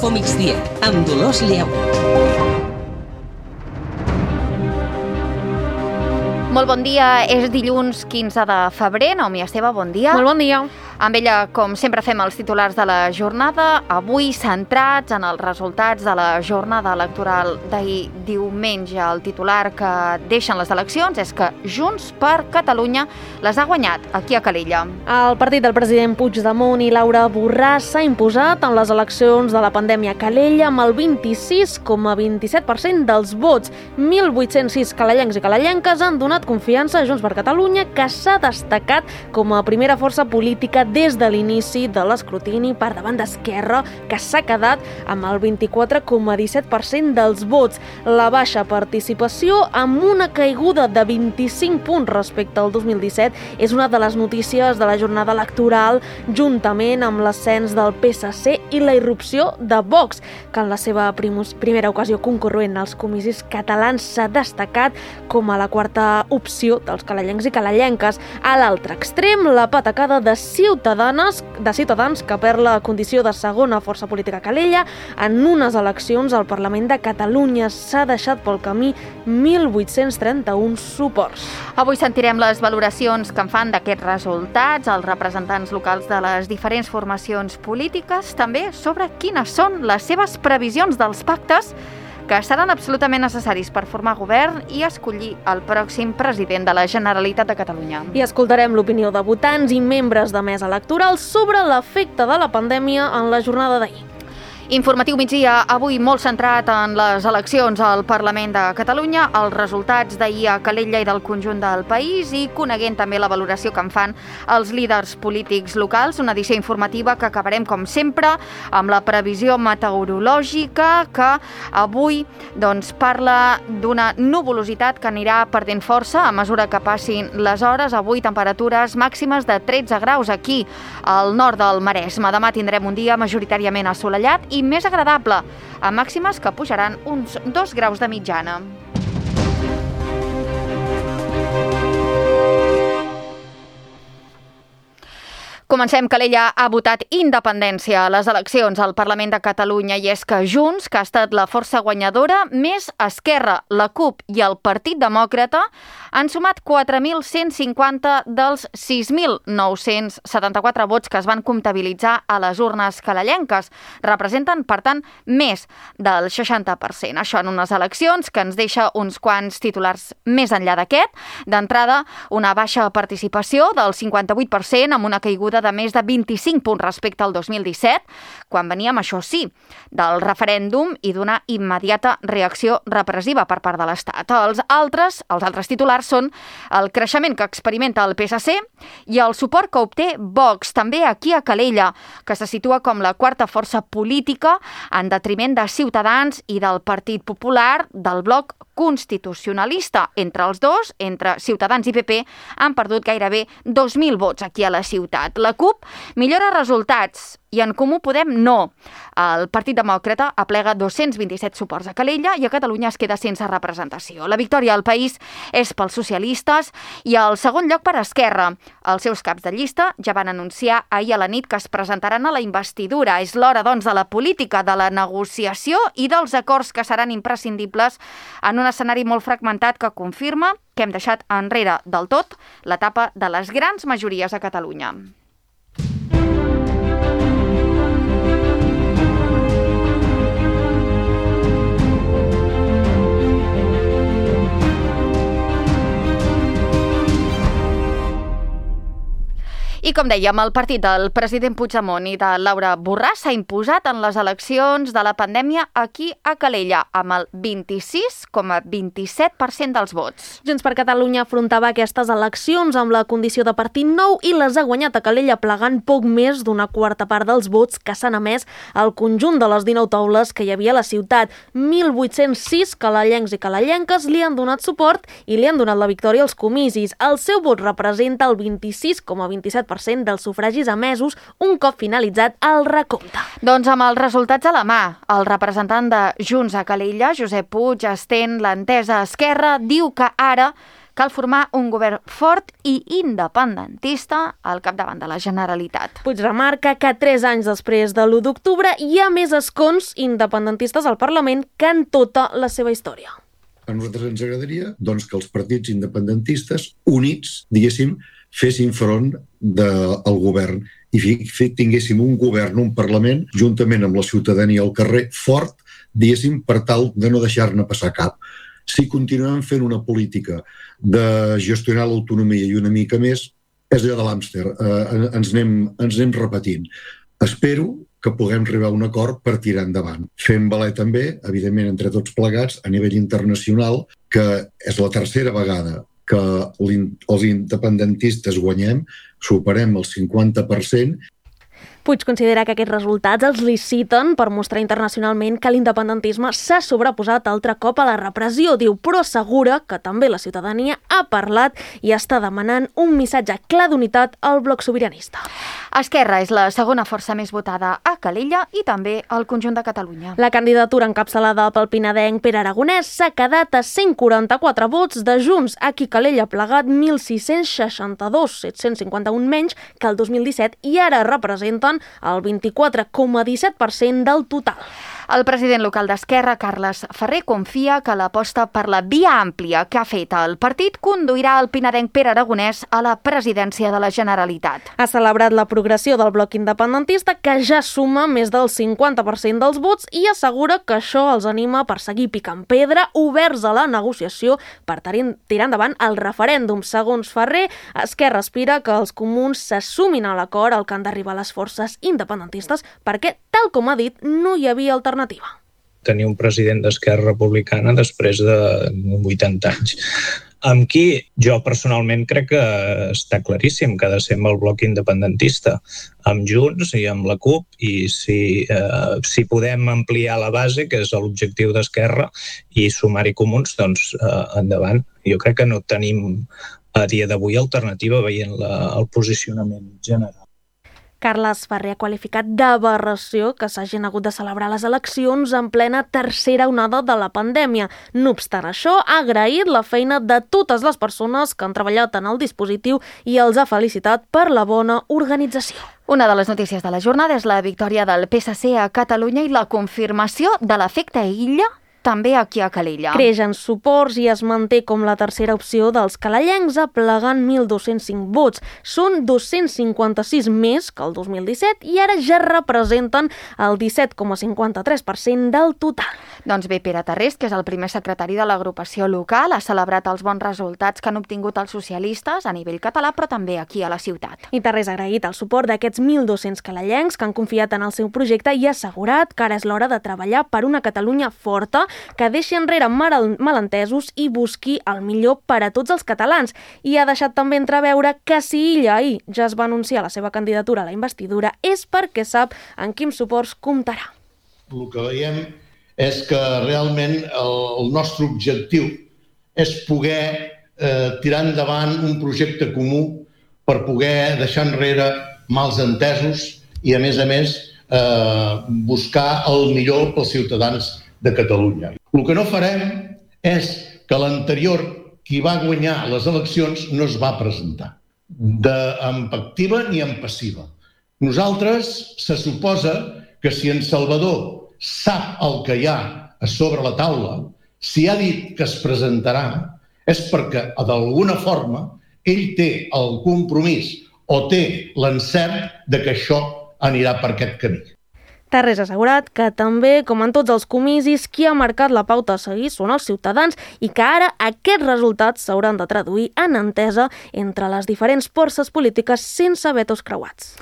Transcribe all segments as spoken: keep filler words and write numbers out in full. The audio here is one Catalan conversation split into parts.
Infomigdia, amb Dolors Lleu. Molt bon dia, és dilluns quinze de febrer. Naomi Esteve, bon dia. Molt bon dia. Amb ella, com sempre, fem els titulars de la jornada, avui centrats en els resultats de la jornada electoral d'ahir diumenge. El titular que deixen les eleccions és que Junts per Catalunya les ha guanyat aquí a Calella. El partit del president Puigdemont i Laura Borràs s'ha imposat en les eleccions de la pandèmia a Calella amb el vint-i-sis coma vint-i-set per cent dels vots. mil vuit-cents sis calellencs i calellenques han donat confiança a Junts per Catalunya, que s'ha destacat com a primera força política des de l'inici de l'escrutini per davant d'Esquerra, que s'ha quedat amb el vint-i-quatre coma disset per cent dels vots. La baixa participació, amb una caiguda de vint-i-cinc punts respecte al dos mil disset, és una de les notícies de la jornada electoral, juntament amb l'ascens del P S C i la irrupció de Vox, que en la seva primera ocasió concurrent als comicis catalans s'ha destacat com a la quarta opció dels calellencs i calellenques. A l'altre extrem, la patacada de Ciutadans, de Ciutadans que perd la condició de segona força política a Calella en unes eleccions al Parlament de Catalunya. S'ha deixat pel camí mil vuit-cents trenta-un suports. Avui sentirem les valoracions que en fan d'aquests resultats els representants locals de les diferents formacions polítiques, també sobre quines són les seves previsions dels pactes que seran absolutament necessaris per formar govern i escollir el pròxim president de la Generalitat de Catalunya. I escoltarem l'opinió de votants i membres de mesa electoral sobre l'efecte de la pandèmia en la jornada d'ahir. Informatiu migdia, avui molt centrat en les eleccions al Parlament de Catalunya, els resultats d'ahir a Calella i del conjunt del país i coneguent també la valoració que en fan els líders polítics locals. Una edició informativa que acabarem, com sempre, amb la previsió meteorològica que avui doncs, parla d'una nuvolositat que anirà perdent força a mesura que passin les hores. Avui temperatures màximes de tretze graus aquí al nord del Maresme. Demà tindrem un dia majoritàriament assolellat i més agradable, amb màximes que pujaran uns dos graus de mitjana. Comencem. Calella ha votat independència a les eleccions al Parlament de Catalunya i és que Junts, que ha estat la força guanyadora, més Esquerra, la CUP i el Partit Demòcrata han sumat quatre mil cent cinquanta dels sis mil nou-cents setanta-quatre vots que es van comptabilitzar a les urnes calellenques. Representen, per tant, més del seixanta per cent. Això en unes eleccions que ens deixa uns quants titulars més enllà d'aquest. D'entrada, una baixa participació del cinquanta-vuit per cent amb una caiguda de més de vint-i-cinc punts respecte al dos mil disset, quan veníem, això sí, del referèndum i d'una immediata reacció repressiva per part de l'Estat. Els altres, els altres titulars són el creixement que experimenta el P S C i el suport que obté Vox, també aquí a Calella, que se situa com la quarta força política en detriment de Ciutadans i del Partit Popular, del bloc constitucionalista. Entre els dos, entre Ciutadans i P P, han perdut gairebé dos mil vots aquí a la ciutat. La CUP millora resultats i en Comú Podem no. El Partit Demòcrata aplega dos-cents vint-i-set suports a Calella i a Catalunya es queda sense representació. La victòria al país és pels socialistes i el segon lloc per Esquerra. Els seus caps de llista ja van anunciar ahir a la nit que es presentaran a la investidura. És l'hora, doncs, de la política, de la negociació i dels acords que seran imprescindibles en un escenari molt fragmentat que confirma que hem deixat enrere del tot l'etapa de les grans majories a Catalunya. I com dèiem, el partit del president Puigdemont i de Laura Borràs s'ha imposat en les eleccions de la pandèmia aquí a Calella, amb el vint-i-sis coma vint-i-set per cent dels vots. Junts per Catalunya afrontava aquestes eleccions amb la condició de partit nou i les ha guanyat a Calella plegant poc més d'una quarta part dels vots que s'han emès al conjunt de les dinou taules que hi havia a la ciutat. mil vuit-cents sis calellencs i calellenques li han donat suport i li han donat la victòria als comicis. El seu vot representa el vint-i-sis coma vint-i-set per cent dels sufragis emesos un cop finalitzat el recompte. Doncs amb els resultats a la mà, el representant de Junts a Calella, Josep Puig, estén l'entesa a Esquerra, diu que ara cal formar un govern fort i independentista al capdavant de la Generalitat. Puig remarca que tres anys després de l'u d'octubre hi ha més escons independentistes al Parlament que en tota la seva història. A nosaltres ens agradaria doncs, que els partits independentistes units, diguéssim, fessin front del govern i tinguéssim un govern, un Parlament, juntament amb la ciutadania al carrer, fort, diguéssim, per tal de no deixar-ne passar cap. Si continuem fent una política de gestionar l'autonomia i una mica més, és allò de l'hàmster, eh, ens, anem, ens anem repetint. Espero que puguem arribar a un acord per tirar endavant. Fem valer també, evidentment, entre tots plegats, a nivell internacional, que és la tercera vegada que els independentistes guanyem, superem el cinquanta per cent. Puig considera que aquests resultats els liciten per mostrar internacionalment que l'independentisme s'ha sobreposat altre cop a la repressió, diu, però assegura que també la ciutadania ha parlat i està demanant un missatge clar d'unitat al bloc sobiranista. Esquerra és la segona força més votada a Calella i també al conjunt de Catalunya. La candidatura encapçalada pel pinadenc Pere Aragonès s'ha quedat a cent quaranta-quatre vots de Junts, a qui Calella ha plegat mil sis-cents seixanta-dos, set-cents cinquanta-un menys que el dos mil disset, i ara representen el vint-i-quatre coma disset per cent del total. El president local d'Esquerra, Carles Ferrer, confia que l'aposta per la via àmplia que ha fet el partit conduirà el pinadenc Pere Aragonès a la presidència de la Generalitat. Ha celebrat la progressió del bloc independentista, que ja suma més del cinquanta per cent dels vots, i assegura que això els anima per seguir picant pedra, oberts a la negociació per tirar endavant el referèndum. Segons Ferrer, Esquerra aspira que els comuns se sumin a l'acord al que han d'arribar les forces independentistes, perquè, tal com ha dit, no hi havia alternativa. Tenir un president d'Esquerra Republicana després de vuitanta anys, amb qui jo personalment crec que està claríssim que ha de ser amb el bloc independentista, amb Junts i amb la CUP, i si, eh, si podem ampliar la base, que és l'objectiu d'Esquerra, i sumar-hi comuns, doncs eh, endavant. Jo crec que no tenim a dia d'avui alternativa veient la, el posicionament general. Carles Ferrer ha qualificat d'aberració que s'hagin hagut de celebrar les eleccions en plena tercera onada de la pandèmia. No obstant això, ha agraït la feina de totes les persones que han treballat en el dispositiu i els ha felicitat per la bona organització. Una de les notícies de la jornada és la victòria del P S C a Catalunya i la confirmació de l'efecte Illa també aquí a Calella. Creix en suports i es manté com la tercera opció dels calellencs, aplegant mil dos-cents cinc vots. Són dos-cents cinquanta-sis més que el dos mil disset i ara ja representen el disset coma cinquanta-tres per cent del total. Doncs bé, Pere Tarrés, que és el primer secretari de l'agrupació local, ha celebrat els bons resultats que han obtingut els socialistes a nivell català, però també aquí a la ciutat. I Tarrés ha agraït el suport d'aquests mil dos-cents calellencs que han confiat en el seu projecte i ha assegurat que ara és l'hora de treballar per una Catalunya forta, que deixi enrere malentesos i busqui el millor per a tots els catalans. I ha deixat també entreveure que si Illa ahir ja es va anunciar la seva candidatura a la investidura és perquè sap en quins suports comptarà. El que veiem és que realment el, el nostre objectiu és poder eh, tirar endavant un projecte comú per poder deixar enrere mals entesos i, a més a més, eh, buscar el millor pels ciutadans de Catalunya. El que no farem és que l'anterior, qui va guanyar les eleccions, no es va presentar, de, en activa ni en passiva. Nosaltres se suposa que si en Salvador sap el que hi ha a sobre la taula, si ha dit que es presentarà, és perquè, d'alguna forma, ell té el compromís o té l'encert de que això anirà per aquest camí. Tarrés ha assegurat que també, com en tots els comicis, qui ha marcat la pauta a seguir són els ciutadans i que ara aquests resultats s'hauran de traduir en entesa entre les diferents forces polítiques sense vetos creuats.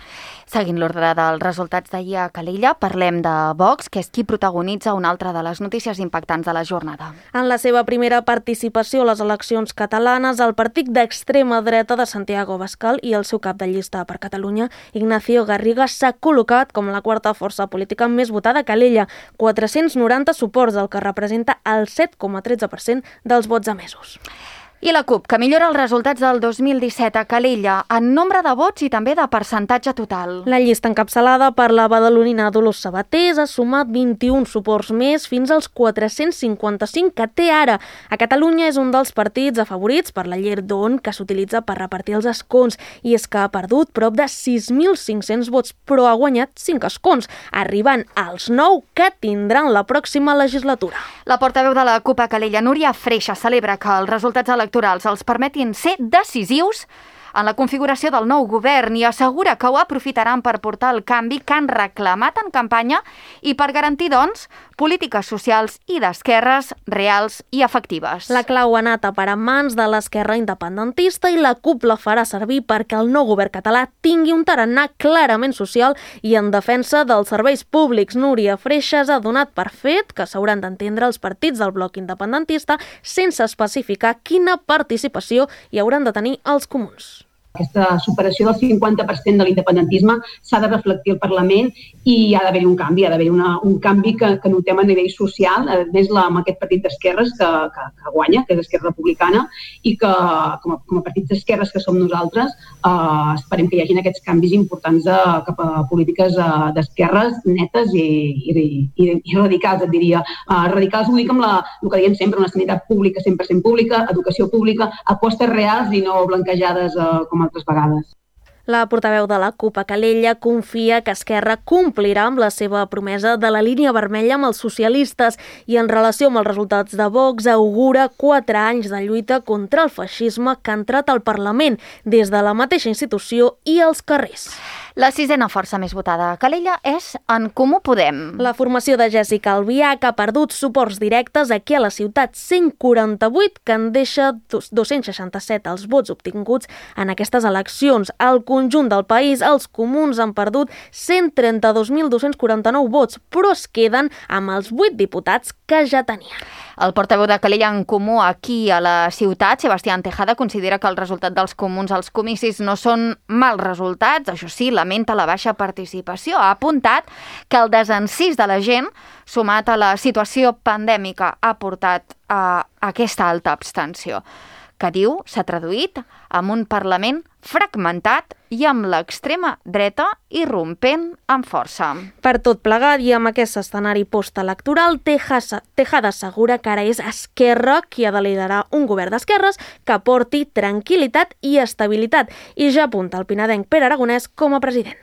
Seguint l'ordre dels resultats d'ahir a Calella, parlem de Vox, que és qui protagonitza una altra de les notícies impactants de la jornada. En la seva primera participació a les eleccions catalanes, el partit d'extrema dreta de Santiago Abascal i el seu cap de llista per Catalunya, Ignacio Garriga, s'ha col·locat com la quarta força política més votada a Calella, quatre-cents noranta suports, el que representa el set coma tretze per cent dels vots emesos. I la CUP, que millora els resultats del dos mil disset a Calella en nombre de vots i també de percentatge total. La llista encapçalada per la badalonina Dolors Sabatés ha sumat vint-i-un suports més fins als quatre-cents cinquanta-cinc que té ara. A Catalunya és un dels partits afavorits per la Llerdón que s'utilitza per repartir els escons i és que ha perdut prop de sis mil cinc-cents vots, però ha guanyat cinc escons, arribant als nou que tindran la pròxima legislatura. La portaveu de la CUP a Calella, Núria Freixa, celebra que els resultats electorals els permetin ser decisius en la configuració del nou govern i assegura que ho aprofitaran per portar el canvi que han reclamat en campanya i per garantir, doncs, polítiques socials i d'esquerres reals i efectives. La clau ha anat a parar en mans de l'esquerra independentista i la CUP la farà servir perquè el nou govern català tingui un tarannà clarament social i en defensa dels serveis públics. Núria Freixas ha donat per fet que s'hauran d'entendre els partits del bloc independentista sense especificar quina participació hi hauran de tenir els comuns. Aquesta superació del cinquanta per cent de l'independentisme s'ha de reflectir al Parlament i hi ha d'haver un canvi, hi ha d'haver un canvi que, que notem a nivell social, a més la, amb aquest partit d'esquerres que, que, que guanya, que és Esquerra Republicana, i que com a, com a partits d'esquerres que som nosaltres eh, esperem que hi hagin aquests canvis importants de, cap a polítiques eh, d'esquerres netes i, i, i, i radicals, et diria. Eh, radicals ho dic amb la, el que diem sempre, una sanitat pública cent per cent pública, educació pública, apostes reals i no blanquejades eh, com altres vegades. La portaveu de la CUP a Calella confia que Esquerra complirà amb la seva promesa de la línia vermella amb els socialistes i en relació amb els resultats de Vox augura quatre anys de lluita contra el feixisme que ha entrat al Parlament des de la mateixa institució i als carrers. La sisena força més votada a Calella és En Comú Podem. La formació de Jessica Albiach ha perdut suports directes aquí a la ciutat, cent quaranta-vuit, que en deixa dos-cents seixanta-set els vots obtinguts en aquestes eleccions. Al conjunt del país, els comuns han perdut cent trenta-dos mil dos-cents quaranta-nou vots, però es queden amb els vuit diputats que ja tenien. El portaveu de Calella En Comú aquí a la ciutat, Sebastián Tejada, considera que el resultat dels comuns als comicis no són mals resultats. Això sí, lamenta la baixa participació. Ha apuntat que el desencís de la gent, sumat a la situació pandèmica, ha portat a aquesta alta abstenció, que diu s'ha traduït en un Parlament fragmentat i amb l'extrema dreta irrompent amb força. Per tot plegat i amb aquest escenari postelectoral, Tejada assegura que ara és Esquerra qui ha de liderar un govern d'esquerres que aporti tranquil·litat i estabilitat i ja apunta el pinadenc Pere Aragonès com a president.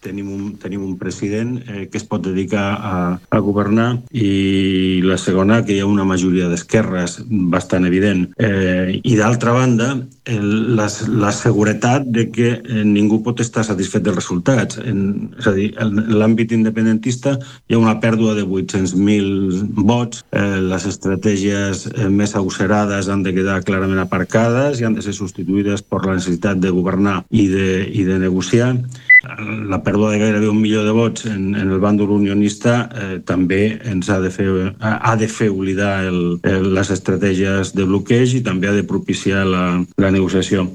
Tenim un, tenim un president eh, que es pot dedicar a, a governar i la segona, que hi ha una majoria d'esquerres bastant evident. Eh, I d'altra banda, el, la, la seguretat de que eh, ningú pot estar satisfet dels resultats. En, és a dir, en l'àmbit independentista hi ha una pèrdua de vuit-cents mil vots, eh, les estratègies eh, més agosserades han de quedar clarament aparcades i han de ser substituïdes per la necessitat de governar i de, i de negociar. La pèrdua de gairebé un milió de vots en, en el bàndol unionista eh, també ens ha de fer, ha de fer oblidar el, el, les estratègies de bloqueig i també ha de propiciar la, la negociació.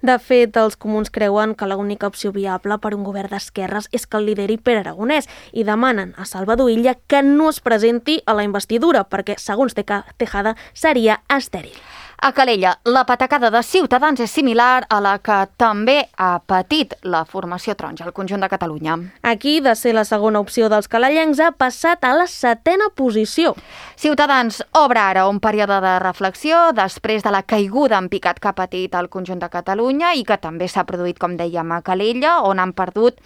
De fet, els comuns creuen que l'única opció viable per un govern d'esquerres és que el lideri Pere Aragonès i demanen a Salvador Illa que no es presenti a la investidura perquè, segons Tejada, seria estèril. A Calella, la patacada de Ciutadans és similar a la que també ha patit la formació taronja al conjunt de Catalunya. Aquí, de ser la segona opció dels calellencs, ha passat a la setena posició. Ciutadans obre ara un període de reflexió després de la caiguda en picat que ha patit el conjunt de Catalunya i que també s'ha produït, com dèiem, a Calella, on han perdut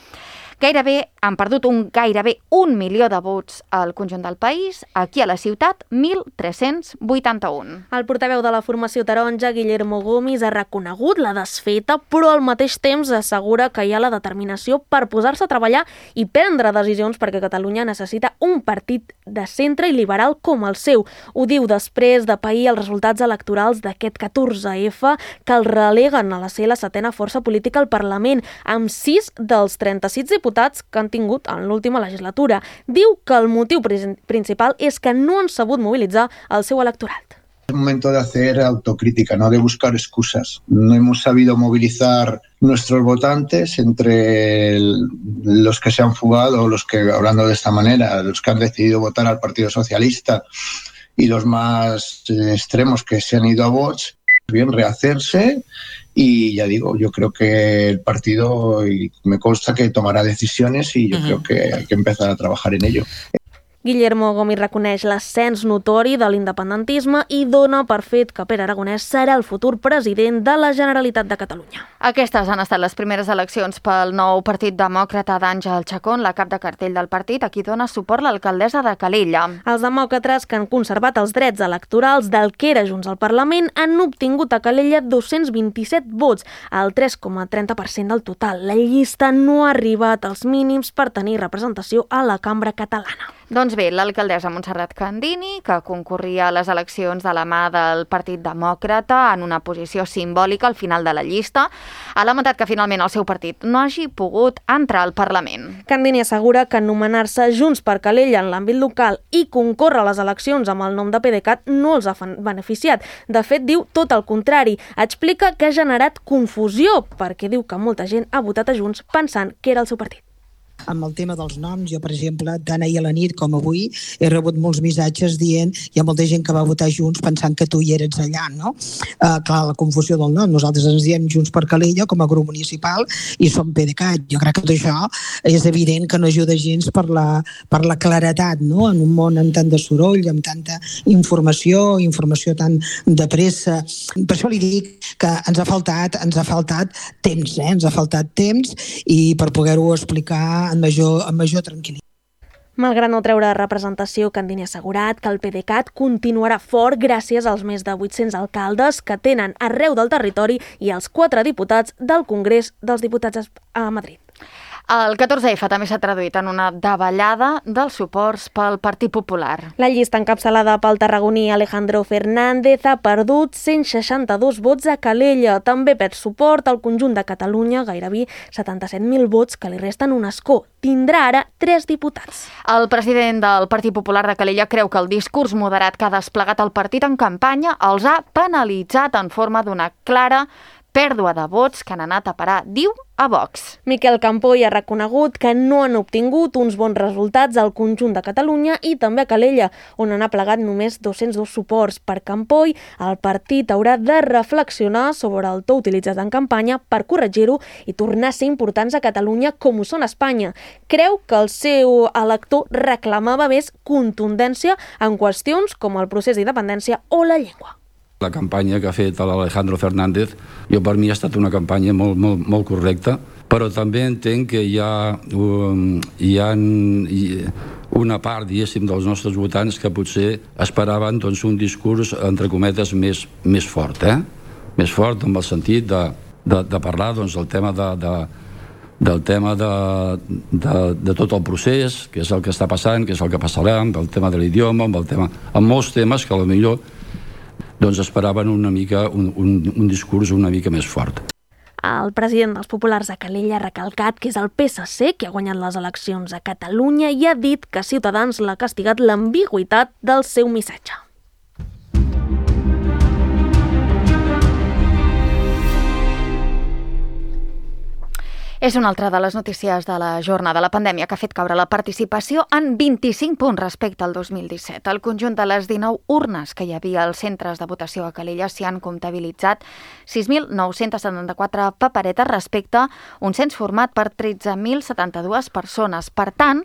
Gairebé han perdut un gairebé un milió de vots al conjunt del país, aquí a la ciutat, mil tres-cents vuitanta-un. El portaveu de la formació taronja, Guillermo Gomis, ha reconegut la desfeta, però al mateix temps assegura que hi ha la determinació per posar-se a treballar i prendre decisions perquè Catalunya necessita un partit de centre i liberal com el seu. Ho diu després de pair els resultats electorals d'aquest catorze efa que el releguen a la ser la setena força política al Parlament, amb sis dels trenta-sis diputats que han tingut en l'última legislatura. Diu que el motiu principal és que no han sabut mobilitzar el seu electorat. Es momento de hacer autocrítica, no de buscar excusas. No hemos sabido movilizar nuestros votantes entre el, los que se han fugado, los que, hablando de esta manera, los que han decidido votar al Partido Socialista y los más extremos que se han ido a Vox. bien rehacerse y ya digo, yo creo que el partido, y me consta que tomará decisiones y yo uh-huh. creo que hay que empezar a trabajar en ello. Guillermo Gomis reconeix l'ascens notori de l'independentisme i dona per fet que Pere Aragonès serà el futur president de la Generalitat de Catalunya. Aquestes han estat les primeres eleccions pel nou Partit Demòcrata d'Àngel Chacón, la cap de cartell del partit, a qui dona suport l'alcaldessa de Calella. Els demòcrates, que han conservat els drets electorals del que era Junts al Parlament, han obtingut a Calella dos-cents vint-i-set vots, el tres coma trenta per cent del total. La llista no ha arribat als mínims per tenir representació a la cambra catalana. Doncs bé, l'alcaldessa Montserrat Candini, que concorria a les eleccions de la mà del Partit Demòcrata en una posició simbòlica al final de la llista, ha lamentat que finalment el seu partit no hagi pogut entrar al Parlament. Candini assegura que anomenar-se Junts per Calella en l'àmbit local i concórrer a les eleccions amb el nom de PDeCAT no els ha beneficiat. De fet, diu tot el contrari. Explica que ha generat confusió perquè diu que molta gent ha votat a Junts pensant que era el seu partit. Amb el tema dels noms, jo, per exemple, tant ahir a la nit com avui, he rebut molts missatges dient hi ha molta gent que va votar Junts pensant que tu hi eres allà, no? Uh, clar, la confusió del nom. Nosaltres ens diem Junts per Calella com a grup municipal i som PDeCAT. Jo crec que tot això és evident que no ajuda gens per la, per la claretat, no? En un món amb tant de soroll, amb tanta informació, informació tan de pressa. Per això li dic que ens ha faltat, ens ha faltat temps, eh? Ens ha faltat temps i per poder-ho explicar amb major, amb major tranquil·litat. Malgrat no treure representació, Candini ha assegurat que el PDeCAT continuarà fort gràcies als més de vuit-cents alcaldes que tenen arreu del territori i als quatre diputats del Congrés dels Diputats a Madrid. El catorze efa també s'ha traduït en una davallada dels suports pel Partit Popular. La llista encapçalada pel tarragoní Alejandro Fernández ha perdut cent seixanta-dos vots a Calella. També perd suport al conjunt de Catalunya, gairebé setanta-set mil vots que li resten un escó. Tindrà ara tres diputats. El president del Partit Popular de Calella creu que el discurs moderat que ha desplegat el partit en campanya els ha penalitzat en forma d'una clara pèrdua de vots que han anat a parar, diu, a Vox. Miquel Campoy ha reconegut que no han obtingut uns bons resultats al conjunt de Catalunya i també a Calella, on han aplegat només dos-cents dos suports. Per Campoy, el partit haurà de reflexionar sobre el to utilitzat en campanya per corregir-ho i tornar a ser importants a Catalunya com ho són a Espanya. Creu que el seu elector reclamava més contundència en qüestions com el procés d'independència o la llengua. La campanya que ha fet l'Alejandro Fernández, jo per mi ha estat una campanya molt, molt, molt correcta, però també entenc que hi ha, um, hi ha una part, diguéssim, dels nostres votants que potser esperaven doncs, un discurs, entre cometes, més, més fort, eh? Més fort en el sentit de, de, de parlar doncs, del tema de, de del tema de, de, de tot el procés, que és el que està passant, que és el que passarà, del tema de l'idioma, amb, el tema, amb molts temes que potser doncs esperaven una mica un, un, un discurs una mica més fort. El president dels Populars a Calella ha recalcat que és el P S C que ha guanyat les eleccions a Catalunya i ha dit que Ciutadans l'ha castigat l'ambigüitat del seu missatge. És una altra de les notícies de la jornada. La pandèmia que ha fet caure la participació en vint-i-cinc punts respecte al dos mil disset. El conjunt de les dinou urnes que hi havia als centres de votació a Calella s'hi han comptabilitzat sis mil nou-cents setanta-quatre paperetes respecte a un cens format per tretze mil setanta-dues persones. Per tant,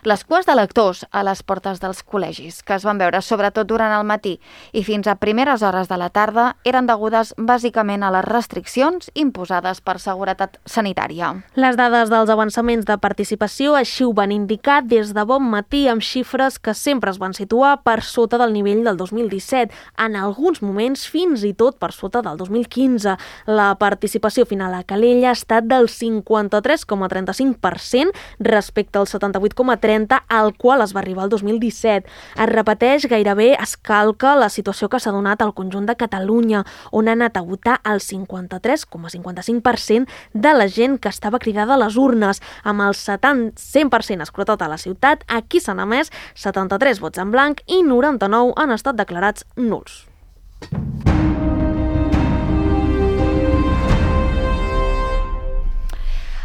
les cues d'electors a les portes dels col·legis, que es van veure sobretot durant el matí i fins a primeres hores de la tarda, eren degudes bàsicament a les restriccions imposades per seguretat sanitària. Les dades dels avançaments de participació així ho van indicar des de bon matí amb xifres que sempre es van situar per sota del nivell del dos mil disset, en alguns moments fins i tot per sota del dos mil quinze. La participació final a Calella ha estat del cinquanta-tres coma trenta-cinc per cent respecte al setanta-vuit coma trenta al qual es va arribar el dos mil disset. Es repeteix, gairebé es calca la situació que s'ha donat al conjunt de Catalunya, on ha anat a votar el cinquanta-tres coma cinquanta-cinc per cent de la gent que estava cridada a les urnes, amb el setanta cent per cent escrutat a la ciutat. Aquí s'han emès setanta-tres vots en blanc i noranta-nou han estat declarats nuls.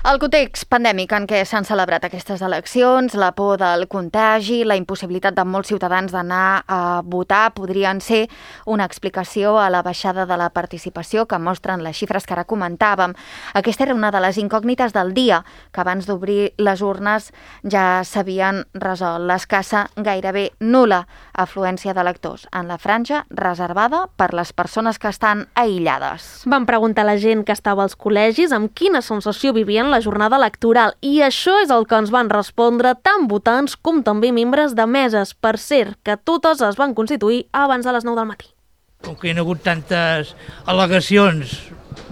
El context pandèmic en què s'han celebrat aquestes eleccions, la por del contagi, la impossibilitat de molts ciutadans d'anar a votar podrien ser una explicació a la baixada de la participació que mostren les xifres que ara comentàvem. Aquesta era una de les incògnites del dia, que abans d'obrir les urnes ja s'havien resolt. L'escassa, gairebé nul·la afluència d'electors en la franja reservada per les persones que estan aïllades. Van preguntar a la gent que estava als col·legis amb quina sensació vivien la jornada electoral i això és el que ens van respondre tant votants com també membres de meses. Per cert, que totes es van constituir abans de les nou del matí. Com que hi ha hagut tantes al·legacions,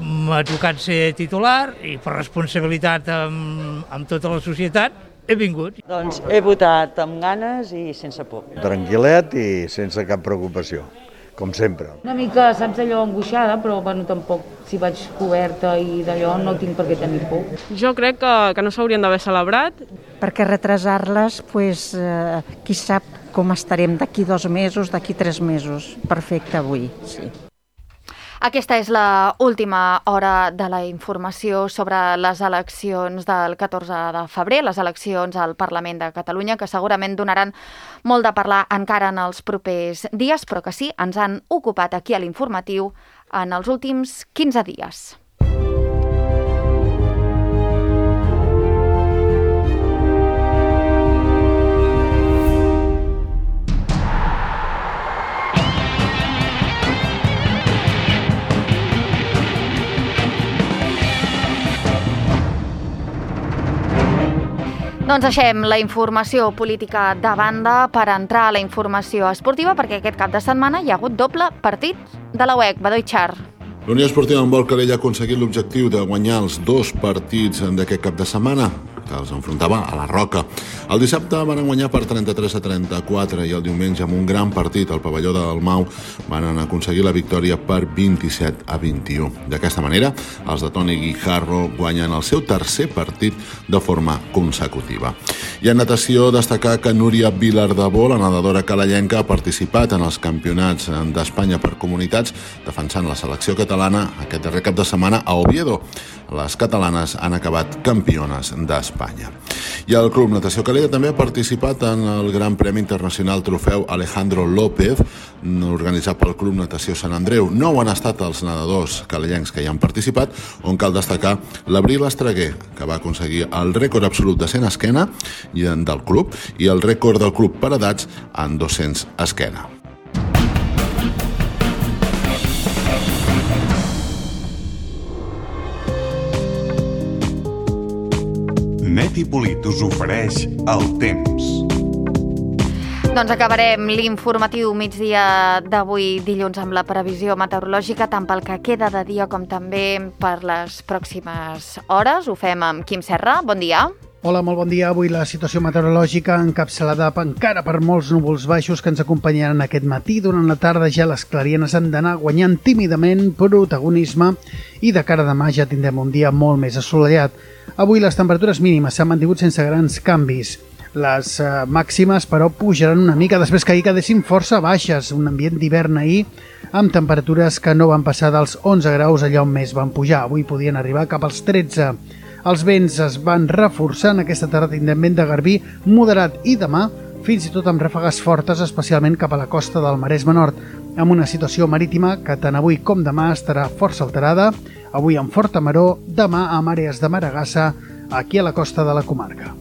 m'ha tocat ser titular i per responsabilitat amb, amb tota la societat he vingut. Doncs he votat amb ganes i sense por. Tranquil·let i sense cap preocupació, com sempre. Una mica, saps, allò angoixada, però bueno, tampoc, si vaig coberta i d'allò no tinc per què tenir por. Jo crec que, que no s'haurien d'haver celebrat. Perquè retrasar-les, pues, eh, qui sap com estarem d'aquí dos mesos, d'aquí tres mesos. Perfecte avui, sí. Aquesta és la última hora de la informació sobre les eleccions del catorze de febrer, les eleccions al Parlament de Catalunya, que segurament donaran molt de parlar encara en els propers dies, però que sí, ens han ocupat aquí a l'informatiu en els últims quinze dies. Doncs deixem la informació política de banda per entrar a la informació esportiva, perquè aquest cap de setmana hi ha hagut doble partit de la U E C. Badoi Char. La Unió Esportiva Handbol Calella ha aconseguit l'objectiu de guanyar els dos partits d'aquest cap de setmana, que els enfrontava a la Roca. El dissabte van guanyar per trenta-tres a trenta-quatre i el diumenge, amb un gran partit al pavelló del Mau, van aconseguir la victòria per vint-i-set a vint-i-u. D'aquesta manera, els de Toni Guijarro guanyen el seu tercer partit de forma consecutiva. I en natació, destacar que Núria Vilardebó, la nedadora calellenca, ha participat en els campionats d'Espanya per comunitats, defensant la selecció catalana aquest darrer cap de setmana a Oviedo. Les catalanes han acabat campiones d'Espanya. I el Club Natació Calella també ha participat en el Gran Premi Internacional Trofeu Alejandro López, organitzat pel Club Natació Sant Andreu. No ho han estat els nedadors calellencs que hi han participat, on cal destacar l'Abril Estreguer, que va aconseguir el rècord absolut de cent esquena del club i el rècord del club per edats en dos-cents esquena. Neti Polit us ofereix el temps. Doncs acabarem l'informatiu migdia d'avui dilluns amb la previsió meteorològica, tant pel que queda de dia com també per les pròximes hores. Ho fem amb Quim Serra. Bon dia. Hola, molt bon dia. Avui la situació meteorològica encapçalada encara per molts núvols baixos que ens acompanyaran aquest matí. Durant la tarda ja les clarienes han d'anar guanyant tímidament protagonisme i de cara a demà ja tindrem un dia molt més assolellat. Avui les temperatures mínimes s'han mantingut sense grans canvis. Les eh, màximes, però, pujaran una mica després que ahir quedessin força baixes. Un ambient d'hivern ahir amb temperatures que no van passar dels onze graus allà on més van pujar. Avui podien arribar cap als tretze. Els vents es van reforçant. Aquesta tarda tindrem vent de garbí moderat i demà fins i tot amb ràfegues fortes, especialment cap a la costa del Maresme Nord, amb una situació marítima que tant avui com demà estarà força alterada. Avui amb forta maror, demà amb àrees de maregassa aquí a la costa de la comarca.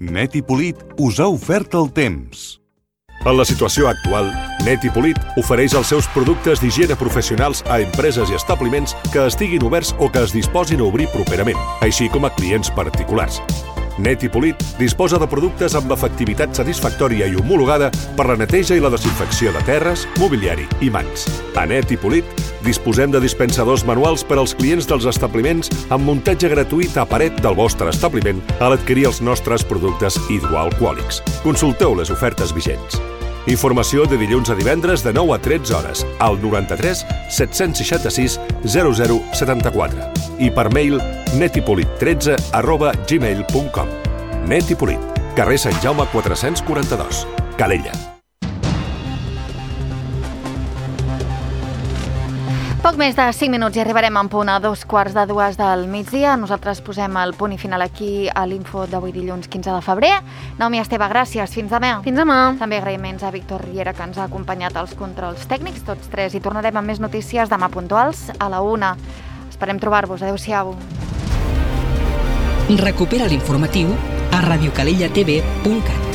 Neti Polit us ha ofert el temps. En la situació actual, Neti Polit ofereix els seus productes d'higiene professionals a empreses i establiments que estiguin oberts o que es disposin a obrir properament, així com a clients particulars. Neti Polit disposa de productes amb efectivitat satisfactòria i homologada per la neteja i la desinfecció de terres, mobiliari i mans. A Neti Polit disposem de dispensadors manuals per als clients dels establiments amb muntatge gratuït a paret del vostre establiment a l'adquirir els nostres productes hidroalcohòlics. Consulteu les ofertes vigents. Informació de dilluns a divendres de nou a tretze hores al noranta-tres set-cents seixanta-sis zero zero setanta-quatre i per mail netipolit tretze arroba gmail punt com. Netipolit, carrer Sant Jaume quatre-cents quaranta-dos, Calella. Poc més de cinc minuts i arribarem en punt a dos quarts de dues del migdia. Nosaltres posem el punt i final aquí a l'info d'avui dilluns quinze de febrer. Naomi Esteve, gràcies. Fins demà. Fins demà. També agraïments a Víctor Riera, que ens ha acompanyat als controls tècnics, tots tres, i tornarem amb més notícies demà puntuals a la una. Esperem trobar-vos. Adéu-siau. Recupera l'informatiu a radiocalellatv punt cat.